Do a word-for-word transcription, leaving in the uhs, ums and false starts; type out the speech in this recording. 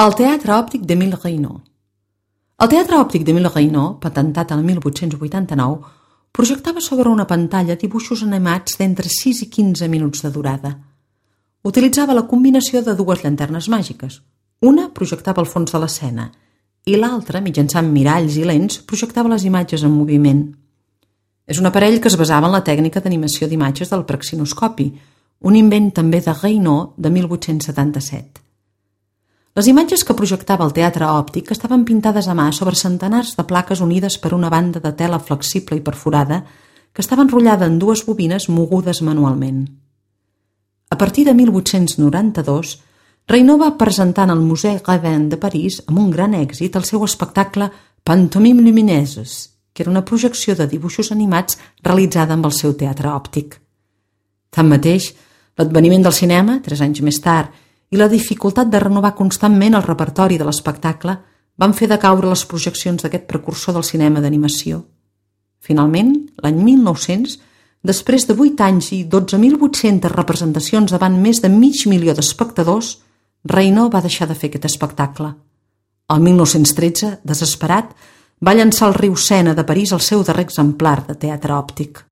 El teatre òptic d'Émile Reynaud. El teatre òptic d'Émile Reynaud, patentat el mil vuit-cents vuitanta-nou, projectava sobre una pantalla dibuixos animats d'entre sis i quinze minuts de durada. Utilitzava la combinació de dues llanternes màgiques. Una projectava el fons de l'escena i l'altra, mitjançant miralls i lents, projectava les imatges en moviment. És un aparell que es basava en la tècnica d'animació d'imatges del praxinoscopi, un invent també de Reynaud de mil vuit-cents setanta-set. Les imatges que projectava el teatre òptic estaven pintades a mà sobre centenars de plaques unides per una banda de tela flexible i perforada que estava enrotllada en dues bobines mogudes manualment. A partir de mil vuit-cents noranta-dos, Reynaud va presentar en el Musée Rodin de París amb un gran èxit el seu espectacle Pantomimes lumineuses, que era una projecció de dibuixos animats realitzada amb el seu teatre òptic. Tanmateix, l'adveniment del cinema, tres anys més tard, i la dificultat de renovar constantment el repertori de l'espectacle van fer decaure les projeccions d'aquest precursor del cinema d'animació. Finalment, l'any mil nou-cents, després de vuit anys i dotze mil vuit-centes representacions davant més de mig milió d'espectadors, Reynaud va deixar de fer aquest espectacle. El mil nou-cents tretze, desesperat, va llançar al riu Sena de París el seu darrer exemplar de teatre òptic.